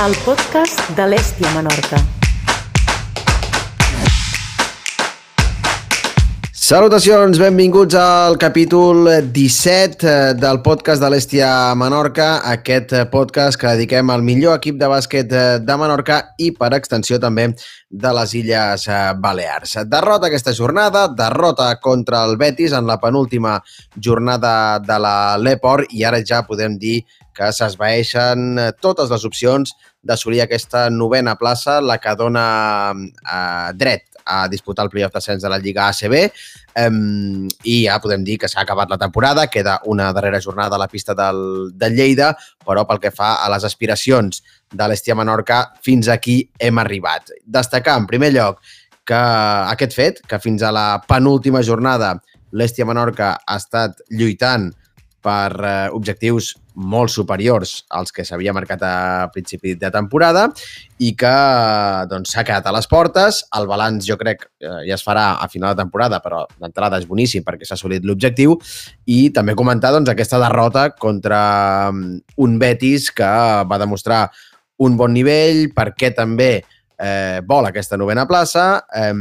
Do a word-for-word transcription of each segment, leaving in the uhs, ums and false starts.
el podcast de l'Hèstia Menorca. Salutacions, benvinguts al capítol disset del podcast de l'Hèstia Menorca, aquest podcast que dediquem al millor equip de bàsquet de Menorca i, per extensió, també de les Illes Balears. Derrota aquesta jornada, derrota contra el Betis en la penúltima jornada de la l'Eport i ara ja podem dir que s'esvaeixen totes les opcions d'assolir aquesta novena plaça, la que dona eh, dret a disputar el playoff d'ascens de la Lliga A C B um, i ja podem dir que s'ha acabat la temporada, queda una darrera jornada a la pista del, del Lleida, però pel que fa a les aspiracions de l'Hèstia Menorca, fins aquí hem arribat. Destacar, en primer lloc, que aquest fet, que fins a la penúltima jornada l'Hèstia Menorca ha estat lluitant per eh, objectius molt superiors als que s'havia marcat a principi de temporada i que doncs, s'ha quedat a les portes. El balanç, jo crec, eh, ja es farà a final de temporada, però d'entrada és boníssim perquè s'ha assolit l'objectiu. I també comentar doncs, aquesta derrota contra un Betis que va demostrar un bon nivell, perquè també eh, vol aquesta novena plaça eh,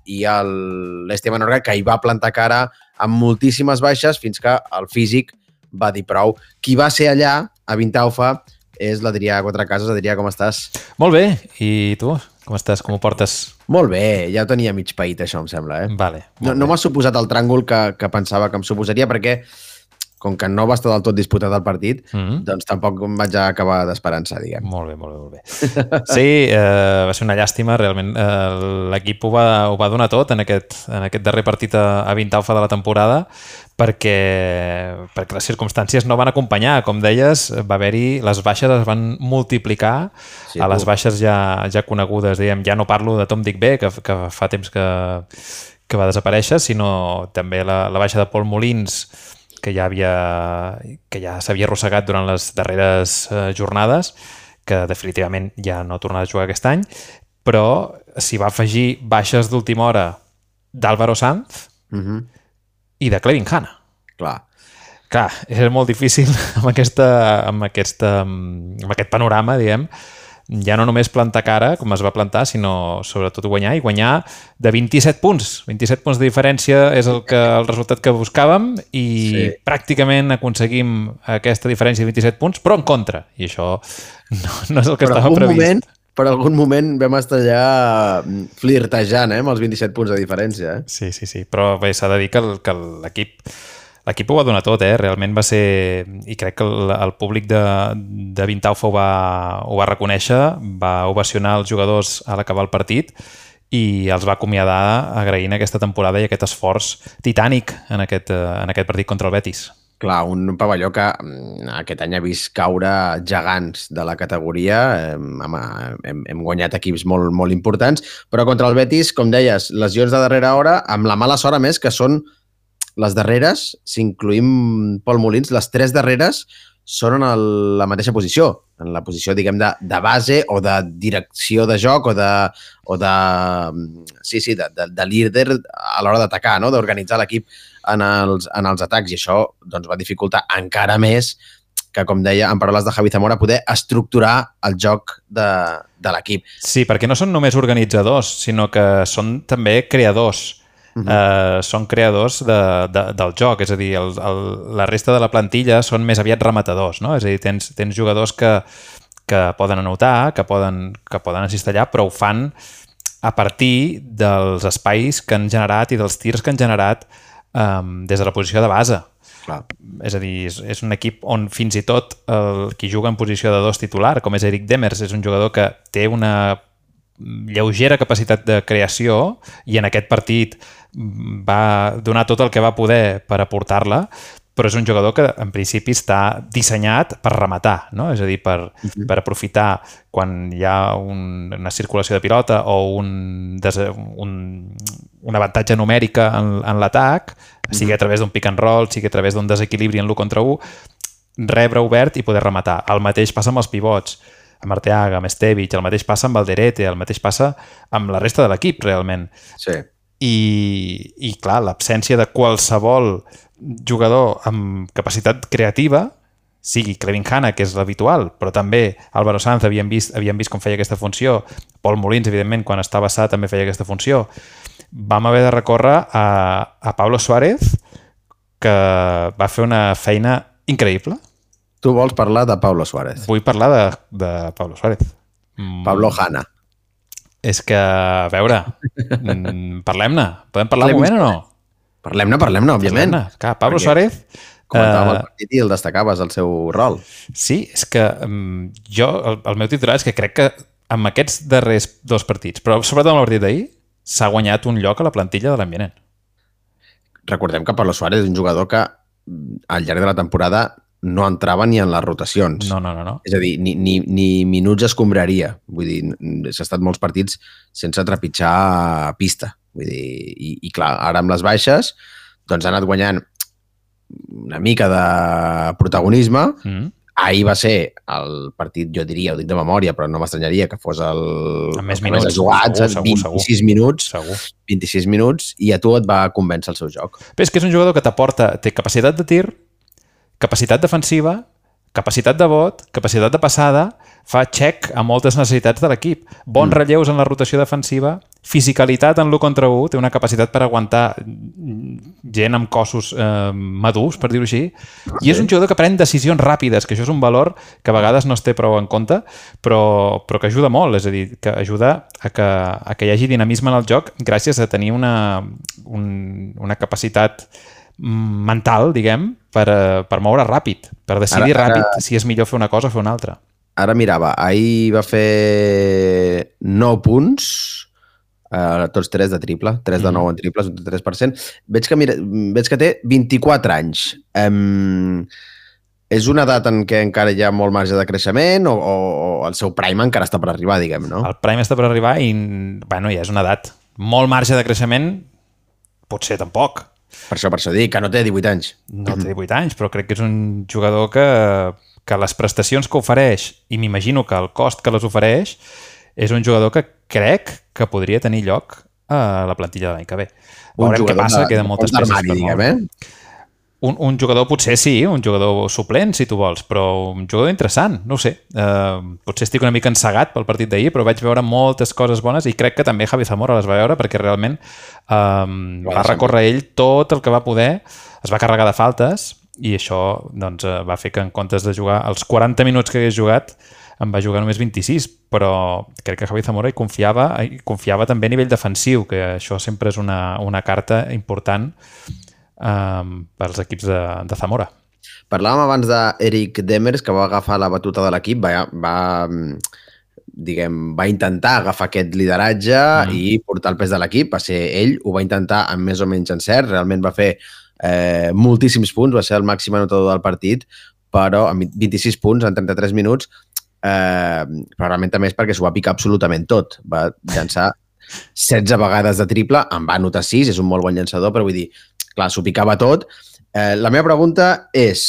i l'Hèstia Menorca que hi va plantar cara amb moltíssimes baixes fins que el físic va dir prou. Qui va ser allà, a Vintaufa, és l'Adrià Quatrecases. Adrià, com estàs? Molt bé. I tu? Com estàs? Com ho portes? Molt bé. Ja ho tenia mig paït, això, em sembla. Eh? Vale. No, no m'ha suposat el tràngol que, que pensava que em suposaria, perquè com que no va estar del tot disputat el partit, mm-hmm. doncs tampoc em vaig acabar d'esperança, diguem. Molt bé, molt bé, molt bé. Sí, eh, va ser una llàstima, realment. Eh, l'equip ho va, ho va donar tot en aquest, en aquest darrer partit a, a Vintaufa de la temporada, perquè, perquè les circumstàncies no van acompanyar. Com deies, va haver-hi, les baixes es van multiplicar sí, a les baixes ja, ja conegudes. Diguem, ja no parlo de Tom Dick B, que, que fa temps que, que va desaparèixer, sinó també la, la baixa de Pol Molins, que ja havia que ja s'havia arrossegat durant les darreres eh, jornades, que definitivament ja no tornarà a jugar aquest any, però s'hi va afegir baixes d'última hora d'Álvaro Sanz mm-hmm. i de Clevin Hanna. Clar. Clar, és molt difícil amb, aquesta, amb, aquesta, amb aquest panorama, diguem, ja no només plantar cara, com es va plantar, sinó sobretot guanyar, i guanyar de vint-i-set punts. vint-i-set punts de diferència és el, que, el resultat que buscàvem i sí. pràcticament aconseguim aquesta diferència de vint-i-set punts, però en contra. I això no, no és el que per estava previst. Moment, per algun moment vam estar ja flirtejant eh, amb els vint-i-set punts de diferència. Eh? Sí, sí, sí. Però bé, s'ha de dir que, el, que l'equip... L'equip ho va donar tot, eh? Realment va ser... I crec que el, el públic de, de Vintaufa ho va, ho va reconèixer, va ovacionar els jugadors a l'acabar el partit i els va acomiadar agraint aquesta temporada i aquest esforç titànic en aquest, en aquest partit contra el Betis. Clar, un pavelló que aquest any ha vist caure gegants de la categoria. Hem, hem, hem guanyat equips molt, molt importants, però contra el Betis, com deies, lesions de darrera hora, amb la mala sort, a més, que són les darreres, si incluïm Pol Molins, les tres darreres són en el, la mateixa posició, en la posició, diguem, de, de base o de direcció de joc o de, o de, sí, sí, de, de, de líder a l'hora d'atacar, no? D'organitzar l'equip en els, en els atacs, i això doncs, va dificultar encara més que, com deia, en paraules de Javi Zamora, poder estructurar el joc de, de l'equip. Sí, perquè no són només organitzadors, sinó que són també creadors. Uh-huh. Uh, són creadors de, de, del joc, és a dir, el, el, la resta de la plantilla són més aviat rematadors, no? És a dir, tens, tens jugadors que, que poden anotar, que poden, que poden assistir, però ho fan a partir dels espais que han generat i dels tirs que han generat um, des de la posició de base. Clar. És a dir, és, és un equip on fins i tot el qui juga en posició de dos titular, com és Eric Demers, és un jugador que té una lleugera capacitat de creació i en aquest partit va donar tot el que va poder per aportar-la, però és un jugador que en principi està dissenyat per rematar, no? És a dir, per, uh-huh. per aprofitar quan hi ha un, una circulació de pilota o un, un, una avantatge numèrica en, en l'atac, sigui a través d'un pick and roll, sigui a través d'un desequilibri en l'u contra u, rebre obert i poder rematar. El mateix passa amb els pivots, amb Arteaga, amb Estevich, el mateix passa amb Alderete, el mateix passa amb la resta de l'equip, realment. Sí. I, i clar, l'absència de qualsevol jugador amb capacitat creativa sigui Clevin Hanna, que és l'habitual, però també Álvaro Sanz havíem vist, havíem vist com feia aquesta funció, Pol Molins, evidentment, quan estava sa també feia aquesta funció. Vam haver de recórrer a, a Pablo Suárez, que va fer una feina increïble. Tu vols parlar de Pablo Suárez. Vull parlar de, de Pablo Suárez. Pablo Hanna. És que, a veure, parlem-ne. Podem parlar un moment o no? Parlem-ne, parlem-ne, òbviament. Parlem-ne. Clar, Pablo Suárez... Comentàvem el partit i el destacaves, el seu rol. Sí, és que um, jo, el, el meu titular és que crec que amb aquests darrers dos partits, però sobretot amb el partit d'ahir, s'ha guanyat un lloc a la plantilla de l'Ambient. Recordem que Pablo Suárez és un jugador que al llarg de la temporada no entrava ni en les rotacions. No, no, no. no. És a dir, ni, ni, ni minuts escombraria. Vull dir, s'ha estat molts partits sense trepitjar pista. Vull dir, i, i clar, ara amb les baixes doncs ha anat guanyant una mica de protagonisme. Mm. Ahir va ser el partit, jo diria, ho dic de memòria, però no m'estranyaria que fos el... Amb més minuts. Més jugats, segur, vint-i-sis segur, minuts, segur. vint-i-sis minuts, i a tu et va convèncer el seu joc. Però és que és un jugador que t'aporta, té capacitat de tir, capacitat defensiva, capacitat de vot, capacitat de passada, fa check a moltes necessitats de l'equip. Bons mm. relleus en la rotació defensiva, fisicalitat en l'u contra u, té una capacitat per aguantar gent amb cossos eh, madurs, per dir-ho així, i sí. És un jugador que pren decisions ràpides, que això és un valor que a vegades no es té prou en compte, però, però que ajuda molt, és a dir, que ajuda a que, a que hi hagi dinamisme en el joc gràcies a tenir una, un, una capacitat mental, diguem, per, per moure ràpid, per decidir ara, ara, ràpid si és millor fer una cosa o fer una altra. Ara mirava, ahir va fer nou punts, eh, tots tres de triple, tres de nou en triples, un tres per cent. Veig que, mira, veig que té vint-i-quatre anys. Um, és una edat en què encara hi ha molt marge de creixement o, o, o el seu prime encara està per arribar, diguem, no? El prime està per arribar i, bueno, ja és una edat. Molt marge de creixement, potser tampoc. Per això, per això dic, que no té divuit anys. No té divuit anys, però crec que és un jugador que, que les prestacions que ofereix, i m'imagino que el cost que les ofereix, és un jugador que crec que podria tenir lloc a la plantilla de l'any que ve. Veurem què passa, de, queden moltes peces per diguem, eh? Un, un jugador potser sí, un jugador suplent, si tu vols, però un jugador interessant, no ho sé. Uh, potser estic una mica encegat pel partit d'ahir, però vaig veure moltes coses bones i crec que també Javi Zamora les va veure perquè realment um, va recórrer ell tot el que va poder, es va carregar de faltes i això doncs, va fer que en comptes de jugar els quaranta minuts que hagués jugat en va jugar només vint-i-sis, però crec que Javi Zamora hi confiava, hi confiava també a nivell defensiu, que això sempre és una, una carta important Um, pels equips de, de Zamora. Parlàvem abans d'Eric Demers, que va agafar la batuta de l'equip, va, va, diguem, va intentar agafar aquest lideratge mm. i portar el pes de l'equip. Va ser ell, ho va intentar amb més o menys encert, realment va fer eh, moltíssims punts, va ser el màxim anotador del partit, però amb vint-i-sis punts en trenta-tres minuts, eh, però realment també és perquè s'ho va picar absolutament tot. Va llançar setze vegades de triple, en va anotar sis, és un molt bon llançador, però vull dir, clar, s'ho picava tot. Eh, la meva pregunta és,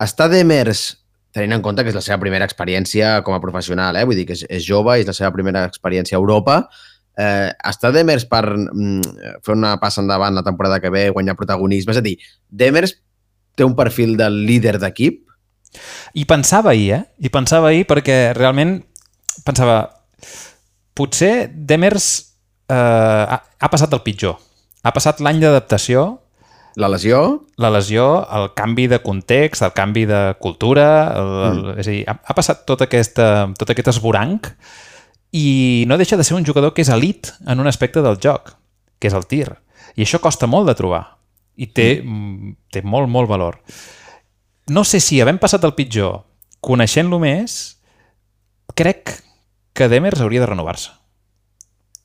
està Demers, tenint en compte que és la seva primera experiència com a professional, eh? Vull dir que és, és jove, és la seva primera experiència a Europa, eh, està Demers per mm, fer una passa endavant la temporada que ve, guanyar protagonisme? És a dir, Demers té un perfil de líder d'equip? I pensava ahir, eh? I pensava ahir perquè realment pensava, potser Demers eh, ha, ha passat el pitjor. Ha passat l'any d'adaptació. La lesió? La lesió, el canvi de context, el canvi de cultura, el, el, mm. és a dir, ha, ha passat tot, aquesta, tot aquest esvoranc i no deixa de ser un jugador que és elit en un aspecte del joc, que és el tir. I això costa molt de trobar i té, mm. té molt, molt valor. No sé si havent passat el pitjor, coneixent-lo més, crec que Demers hauria de renovar-se.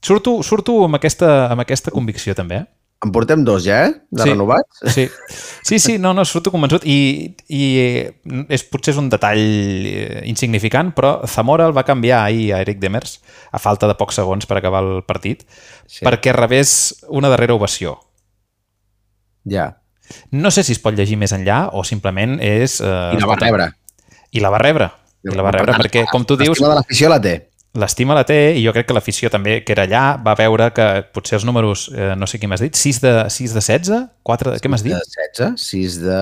Surto, surto amb, aquesta, amb aquesta convicció, també. Eh? En portem dos ja, eh? De sí, renovats. Sí, sí, sí, no, no, surto convençut. I, i és, potser és un detall insignificant, però Zamora el va canviar ahir a Eric Demers, a falta de pocs segons per acabar el partit, sí. perquè rebés una darrera ovació. Ja. No sé si es pot llegir més enllà o simplement és... Eh, I la va rebre. I la va rebre. I la va rebre, perquè, com tu dius... L'estima de l'afició la té. l'estima la té i jo crec que l'afició també, que era allà, va veure que potser els números, eh, no sé qui m'has dit, sis de, sis de setze? quatre de... Què m'has dit? sis de setze, sis de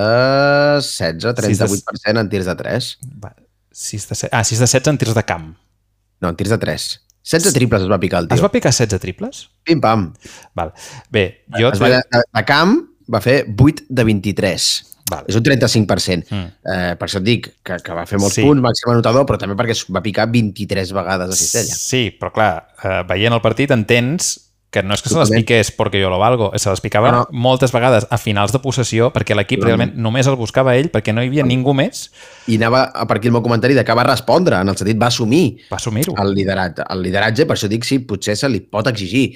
setze, trenta-vuit per cent en tirs de tres. Va, sis de setze, ah, sis de setze en tirs de camp. No, en tirs de tres. setze triples es va picar el tio. Es va picar setze triples? Pim-pam. Val. Bé, jo... Es va, de, de camp va fer vuit de vint-i-tres. Val. És un trenta-cinc per cent. Mm. Eh, per això et dic que, que va fer molts Sí. punts, màxim anotador, però també perquè va picar vint-i-tres vegades a cistella. Sí, però clar, eh, veient el partit entens que no és que se les Totalment. piqués perquè jo lo valgo, se les picava No, no. moltes vegades a finals de possessió perquè l'equip Totalment. realment només el buscava ell perquè no hi havia ningú més. I anava a per aquí el meu comentari de que va respondre, en el sentit va assumir Va assumir-ho. el lideratge. El lideratge, per això dic, sí, potser se li pot exigir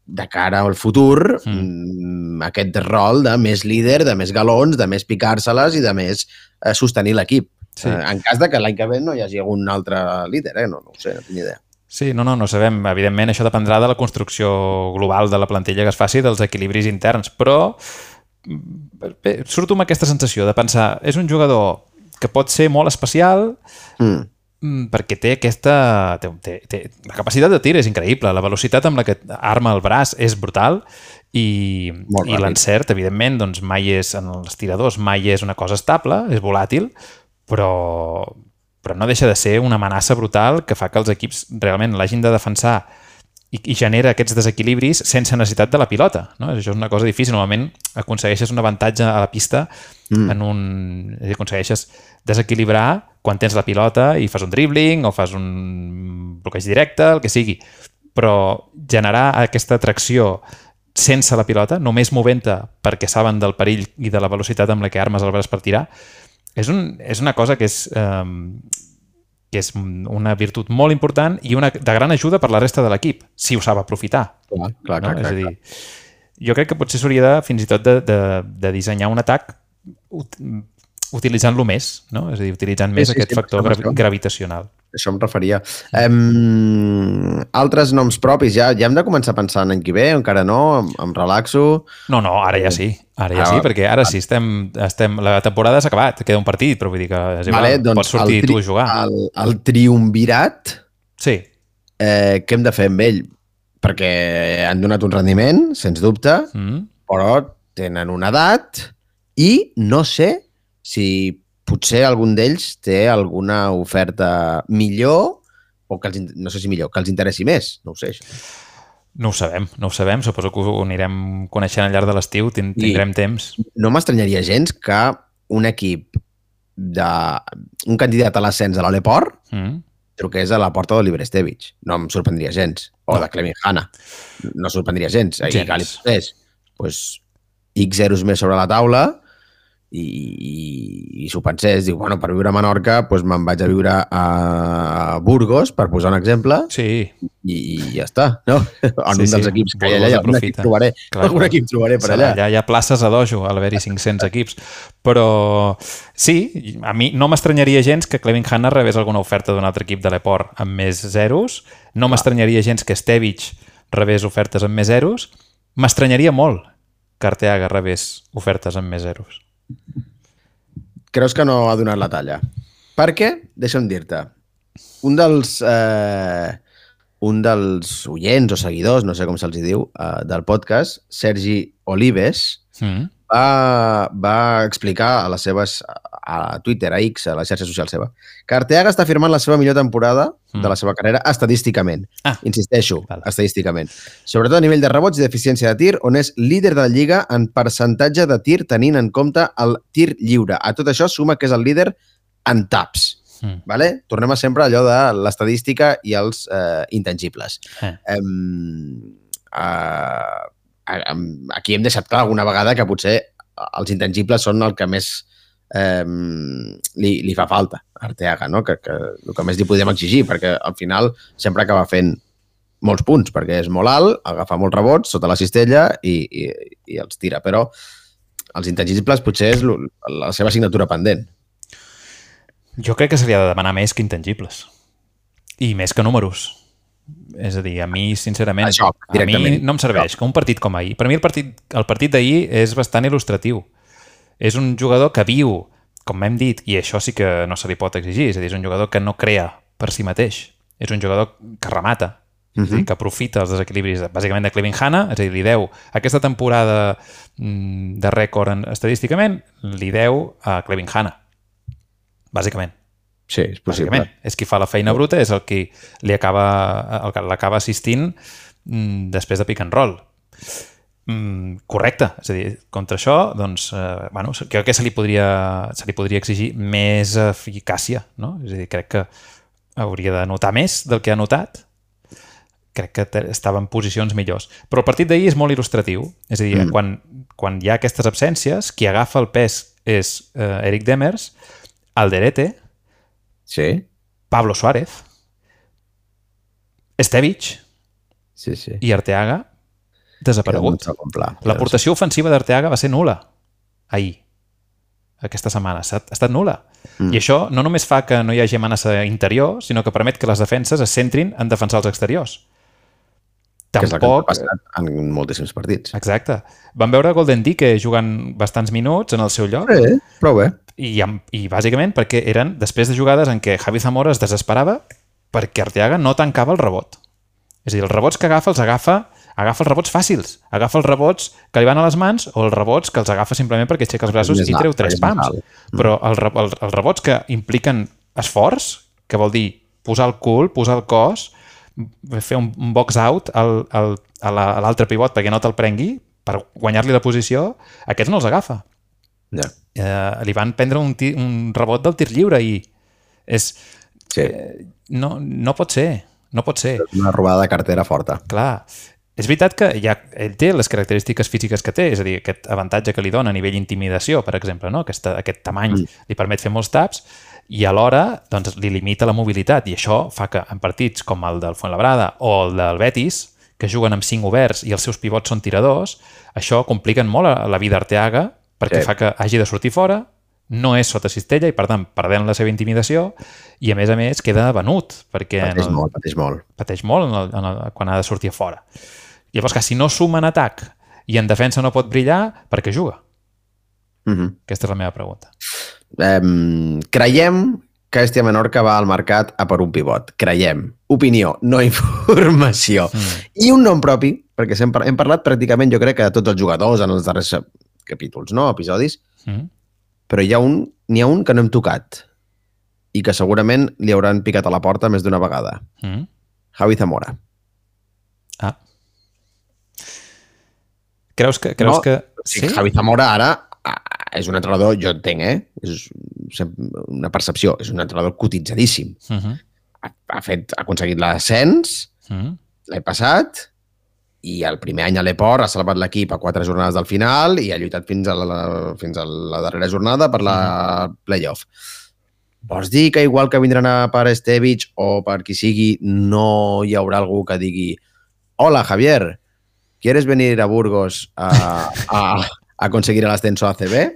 de cara al futur mm. aquest rol de més líder, de més galons, de més picar-se-les i de més eh, sostenir l'equip. Sí. Eh, en cas de que l'any que ve no hi hagi algun altre líder, eh? no, no ho sé, no tinc ni idea. Sí, no, no, no sabem. Evidentment, això dependrà de la construcció global de la plantilla que es faci, dels equilibris interns, però bé, surto amb aquesta sensació de pensar, és un jugador que pot ser molt especial, Mm. perquè té aquesta... Té, té, té, la capacitat de tir és increïble, la velocitat amb la que arma el braç és brutal i, Molt i ràpid. l'encert, evidentment, doncs mai és, en els tiradors mai és una cosa estable, és volàtil, però, però no deixa de ser una amenaça brutal que fa que els equips realment l'hagin de defensar i, i genera aquests desequilibris sense necessitat de la pilota. No? Això és una cosa difícil. Normalment aconsegueixes un avantatge a la pista mm. en un... És a dir, aconsegueixes desequilibrar quan tens la pilota i fas un dribbling o fas un bloqueig directe, el que sigui. Però generar aquesta atracció sense la pilota, només movent-te perquè saben del perill i de la velocitat amb la que armes el braç per tirar, és, un, és una cosa que és, eh, que és una virtut molt important i una de gran ajuda per la resta de l'equip, si ho sap aprofitar. Clar, clar, No? clar, És clar, a dir, jo crec que potser s'hauria de, fins i tot de, de, de dissenyar un atac ut utilitzant-lo més, no? És a dir, utilitzant més sí, aquest sí, factor per gra això. gravitacional. Això em referia. Um, altres noms propis, ja, ja hem de començar a pensar l'any que ve, encara no, em, em relaxo. No, no, ara ja sí. Ara ja Ah, sí, perquè ara sí estem, estem... La temporada s'ha acabat, queda un partit, però vull dir que és igual, Vale, doncs pots sortir el tri- tu a jugar. El, el triumvirat, Sí, eh, què hem de fer amb ell? Perquè han donat un rendiment, sens dubte, mm. però tenen una edat i no sé si potser algun d'ells té alguna oferta millor o que els, in- no sé si millor, que els interessi més. No ho sé, això. No ho sabem, no ho sabem. Suposo que ho anirem coneixent al llarg de l'estiu, tin tindrem I- temps. No m'estranyaria gens que un equip de... un candidat a l'ascens a l'Oleport Mm. truqués a la porta d'Oliver Estevich. No em sorprendria gens. O No. de Clement Hanna. No sorprendria gens. I Gens. que li posés pues, X zeros més sobre la taula i, i, i s'ho pensés. Diu, bueno, per viure a Menorca pues, me'n vaig a viure a Burgos, per posar un exemple, Sí, i, i ja està. No? En Sí, un dels sí. equips que hi ha Burgos allà, algun equip aprofita. trobaré. Clar, algun clar. equip trobaré per serà, allà. allà hi ha places a dojo, a l'haver-hi cinc-cents equips. Però sí, a mi no m'estranyaria gens que Clement Hanna rebés alguna oferta d'un altre equip de l'Eport amb més zeros. No m'estranyaria gens que Estevich rebés ofertes amb més zeros. M'estranyaria molt que Arteaga rebés ofertes amb més zeros. Creus que no ha donat la talla? Perquè, deixa'm dir-te, un dels, eh, un dels oients o seguidors, no sé com se'ls diu, eh, del podcast, Sergi Olives, Mm. va, va explicar a les seves, a Twitter, a X, a la xarxa social seva, que Arteaga està firmant la seva millor temporada Mm. de la seva carrera estadísticament. Ah. Insisteixo, Val. estadísticament. Sobretot a nivell de rebots i d'eficiència de tir, on és líder de la Lliga en percentatge de tir tenint en compte el tir lliure. A tot això suma que és el líder en taps. Mm. Vale? Tornem a sempre allò de l'estadística i els eh, intangibles. Eh. Um, uh, aquí hem deixat clar alguna vegada que potser els intangibles són el que més um, li, li fa falta a Arteaga, no? que, que el que més li podem exigir, perquè al final sempre acaba fent molts punts, perquè és molt alt, agafa molts rebots sota la cistella i, i, i els tira, però els intangibles potser és la seva assignatura pendent. Jo crec que se li ha de demanar més que intangibles. I més que números. És a dir, a mi, sincerament, A joc, a mi directament. no em serveix que un partit com ahir. Per mi el partit, el partit d'ahir és bastant il·lustratiu. És un jugador que viu, com hem dit, i això sí que no se li pot exigir, és a dir, és un jugador que no crea per si mateix. és un jugador que remata, Uh -huh. és a dir, que aprofita els desequilibris bàsicament de Clevin Hanna, és a dir, li deu aquesta temporada de rècord en, estadísticament, li deu a Clevin Hanna, bàsicament. Sí, és possible. Bàsicament. És qui fa la feina bruta, és el qui li acaba, el que l'acaba assistint mm, després de pick and roll. Mm, correcte. És a dir, contra això, doncs, eh, bueno, crec que se li podria, se li podria exigir més eficàcia, no? És a dir, crec que hauria de notar més del que ha notat. Crec que estava en posicions millors. Però el partit d'ahir és molt il·lustratiu. És a dir, mm. quan, quan hi ha aquestes absències, qui agafa el pes és eh, Eric Demers, Alderete, sí. Pablo Suárez, Estevich sí, sí. i Arteaga desaparegut. L'aportació ofensiva d'Arteaga va ser nul·la ahir, aquesta setmana. Ha estat nul·la. Mm. I això no només fa que no hi hagi amenaça interior, sinó que permet que les defenses es centrin en defensar els exteriors. Que és el que ha passat en moltíssims partits. Exacte. Vam veure Golden Dike jugant bastants minuts en el seu lloc. Sí, prou bé. I, I bàsicament perquè eren després de jugades en què Javi Zamora es desesperava perquè Arteaga no tancava el rebot. És a dir, els rebots que agafa els agafa agafa els rebots fàcils. Agafa els rebots que li van a les mans o els rebots que els agafa simplement perquè aixeca els braços i treu tres pams. Però els, els, els rebots que impliquen esforç, que vol dir posar el cul, posar el cos, fer un, un box out al, al, a l'altre pivot perquè no te'l prengui, per guanyar-li la posició, aquests no els agafa. Ja. Eh, li van prendre un, tir, un rebot del tir lliure i és... Sí. Eh, no, no pot ser. No pot ser. Una robada de cartera forta. Clar. És veritat que ja, ell té les característiques físiques que té, és a dir, aquest avantatge que li dona a nivell intimidació, per exemple, no? Aquesta, aquest tamany mm. li permet fer molts taps i alhora doncs, li limita la mobilitat i això fa que en partits com el del Fuenlabrada o el del Betis, que juguen amb cinc oberts i els seus pivots són tiradors, això compliquen molt la vida Arteaga perquè sí. fa que hagi de sortir fora, no és sota cistella i, per tant, perdent la seva intimidació i, a més a més, queda venut. Perquè pateix el, molt, pateix molt. Pateix molt en el, en el, quan ha de sortir a fora. Llavors, que si no suma en atac i en defensa no pot brillar, per què juga? Mm-hmm. Aquesta és la meva pregunta. Um, creiem que Hèstia Menorca va al mercat a per un pivot. Creiem. Opinió, no informació. Mm. I un nom propi, perquè hem, hem parlat pràcticament, jo crec, que de tots els jugadors en els darrers capítols, no? Episodis. Mm. Però hi ha un, n'hi ha un que no hem tocat i que segurament li hauran picat a la porta més d'una vegada. Mm. Javi Zamora. Ah. Creus que... Creus no, que... Sí? Javi Zamora ara és un entrenador, jo entenc, eh? És una percepció, és un entrenador cotitzadíssim. Uh-huh. ha, ha, fet, ha aconseguit l'ascens uh-huh. l'any passat i el primer any a l'Eport ha salvat l'equip a quatre jornades del final i ha lluitat fins a la, fins a la darrera jornada per la uh-huh. playoff. Vols dir que igual que vindran a per Estevich o per qui sigui, no hi haurà algú que digui hola, Javier, ¿quieres venir a Burgos a, a, a conseguir l'ascenso a A C B?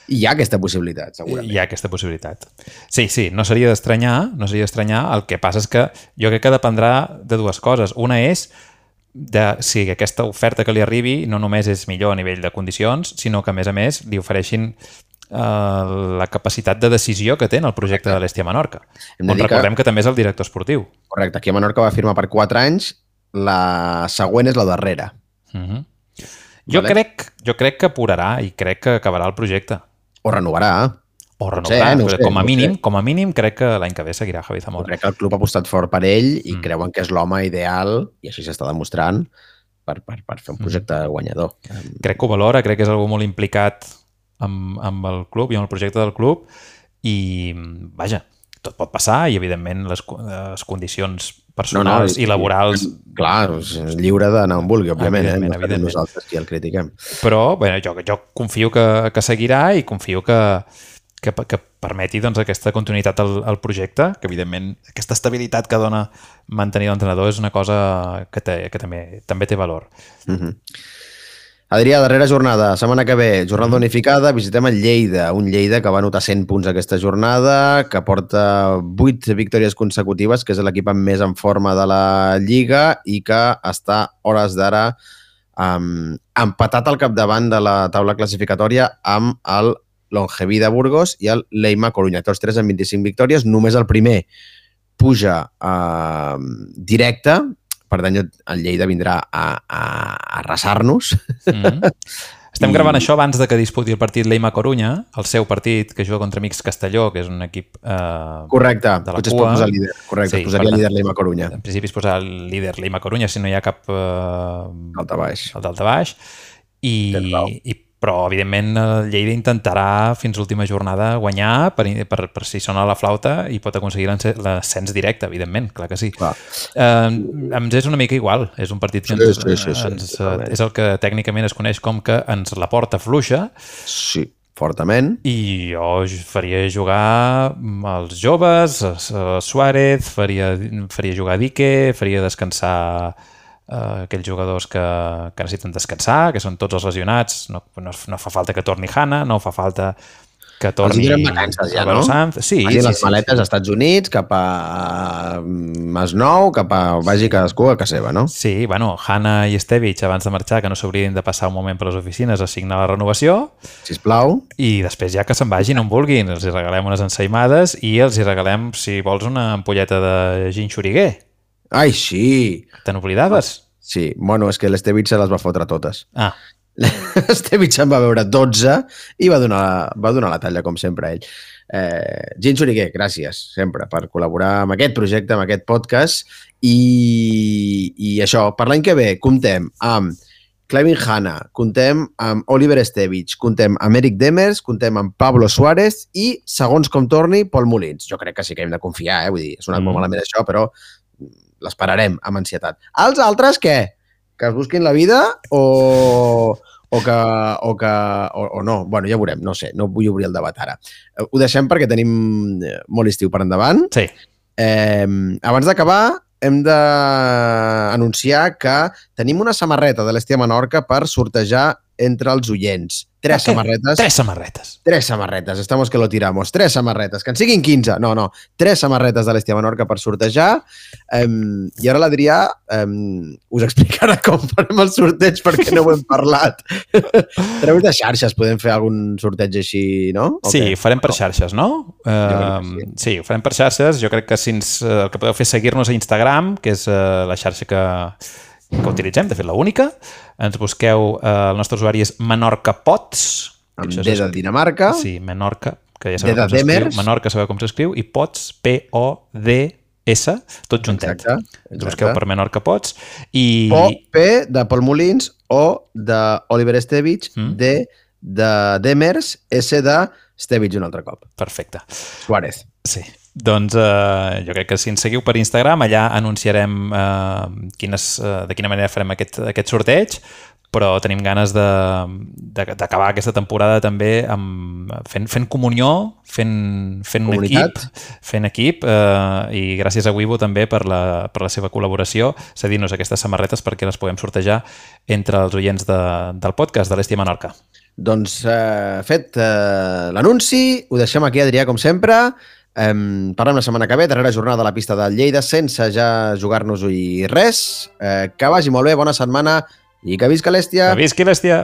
Hi ha aquesta possibilitat, segurament. Hi ha aquesta possibilitat. Sí, sí, no seria d'estranyar, no seria d'estranyar. El que passa és que jo crec que dependrà de dues coses. Una és de si aquesta oferta que li arribi no només és millor a nivell de condicions, sinó que, a més a més, li ofereixin eh, la capacitat de decisió que té en el projecte de l'Hèstia Menorca. On recordem que... que també és el director esportiu. Correcte. Aquí a Menorca va firmar per quatre anys, la següent és la darrera. Uh-huh. Jo, vale. crec, jo crec que apurarà i crec que acabarà el projecte. O renovarà. O renovarà, no sé, com, a mínim, no com a mínim crec que l'any que ve seguirà Javi Zamora. Crec que el club ha apostat fort per ell i mm. creuen que és l'home ideal, i així s'està demostrant, per, per, per fer un projecte mm. guanyador. Crec que ho valora, crec que és algú molt implicat amb, amb el club i amb el projecte del club i, vaja, tot pot passar i, evidentment, les, les condicions personals no, no, i laborals... Clar, és lliure d'anar on vulgui, òbviament, evidentment, eh? evidentment. Nosaltres qui el critiquem. Però, bé, jo, jo confio que, que seguirà i confio que, que, que permeti doncs, aquesta continuïtat al, al projecte, que, evidentment, aquesta estabilitat que dona mantenir l'entrenador és una cosa que, té, que també, també té valor. Mm-hmm. Adrià, darrera jornada, setmana que ve, jornada unificada, visitem el Lleida, un Lleida que va anotar cent punts aquesta jornada, que porta vuit victòries consecutives, que és l'equip més en forma de la Lliga i que està, hores d'ara, um, empatat al capdavant de la taula classificatòria amb el Longeví de Burgos i el Leima Corunya. Tots tres amb vint-i-cinc victòries, només el primer puja uh, directe, per tant el Lleida vindrà a, a, a arrasar-nos. Mm-hmm. Estem I... gravant això abans de que disputi el partit l'Eima Corunya, el seu partit, que juga contra Amics Castelló, que és un equip eh, correcte, de la potser cua. Es pot posar líder. Correcte, sí, es posaria líder l'Eima Corunya. En principi es posa el líder l'Eima Corunya, si no hi ha cap... Eh, Daltabaix. El Daltabaix. I, i però, evidentment, el Lleida intentarà fins l'última jornada guanyar per, per, per si sona la flauta i pot aconseguir l'ascens directe, evidentment, clar que sí. Clar. Eh, ens és una mica igual. És un partit que ens, sí, sí, sí, sí, ens, sí, és el que tècnicament es coneix com que ens la porta fluixa. Sí, fortament. I jo faria jugar els joves, Suárez, faria, faria jugar Dique, faria descansar... Uh, aquells jugadors que, que necessiten descansar, que són tots els lesionats, no, no, no fa falta que torni Hanna, no fa falta que torni... Els hi donem vacances ja, no? Sanz. Sí, vagi sí, les sí, maletes sí. als Estats Units, cap a Masnou, cap a... vagi cadascú a casa seva, no? Sí, bueno, Hanna i Estevich, abans de marxar, que no s'oblidin de passar un moment per les oficines a signar la renovació. Sisplau. I després ja que se'n vagin on vulguin. Els hi regalem unes ensaïmades i els hi regalem, si vols, una ampolleta de gin xuriguer. Ai, sí! Te n'oblidaves? Sí, bueno, és que l'Estevich se les va fotre totes. Ah. L'Estevich en va veure dotze i va donar, va donar la talla, com sempre, ell. Eh, Gin Xuriguer, gràcies, sempre, per col·laborar amb aquest projecte, amb aquest podcast. I, i això, per l'any que ve, comptem amb Clevin Hanna, comptem amb Oliver Estevich, comptem amb Eric Demers, comptem amb Pablo Suárez i, segons com torni, Pol Molins. Jo crec que sí que hem de confiar, eh? Vull dir, ha sonat mm. molt malament això, però l'esperarem amb ansietat. Els altres, què? Que es busquin la vida o, o que... O, que o, o no? Bueno, ja veurem, no sé, no vull obrir el debat ara. Ho deixem perquè tenim molt estiu per endavant. Sí. Eh, abans d'acabar, hem d'anunciar que tenim una samarreta de l'Estia Menorca per sortejar entre els oients. Tres okay. samarretes. Tres samarretes. Tres samarretes. Estamos que lo tiramos. Tres samarretes. Que en siguin quinze. No, no. Tres samarretes de l'Estia Menorca per sortejar. Um, I ara l'Adrià um, us explicarà com farem el sorteig perquè no ho hem parlat. A través de xarxes podem fer algun sorteig així, no? Sí, okay. Farem per xarxes, no? Uh, sí. sí, ho farem per xarxes. Jo crec que si ens, el que podeu fer és seguir-nos a Instagram, que és uh, la xarxa que... que utilitzem, de fet l'única. Ens busqueu, eh, el nostre usuari és Menorca Pots. Amb D de Dinamarca. Sí, Menorca, que ja sabeu com s'escriu. Menorca sabeu com s'escriu. I Pots, P O D S, tot juntet. Exacte, exacte. Ens busqueu per Menorca Pots. I... O, P de Pol Molins, O de Oliver Estevich, mm. D de Demers, S de Estevich un altre cop. Perfecte. Suárez. Sí. Doncs eh, jo crec que si ens seguiu per Instagram, allà anunciarem eh, quines, eh, de quina manera farem aquest, aquest sorteig, però tenim ganes d'acabar aquesta temporada també amb, fent, fent comunió, fent, fent un equip, fent equip eh, i gràcies a Wibo també per la, per la seva col·laboració, cedint-nos aquestes samarretes perquè les puguem sortejar entre els oients de, del podcast de l'Estia Menorca. Doncs eh, fet eh, l'anunci, ho deixem aquí, Adrià, com sempre. Um, parlem la setmana que ve, darrera jornada a la pista del Lleida, sense ja jugar-nos-hi res. Eh, que vagi molt bé, bona setmana i que visca l'Estia! Que visqui l'Estia!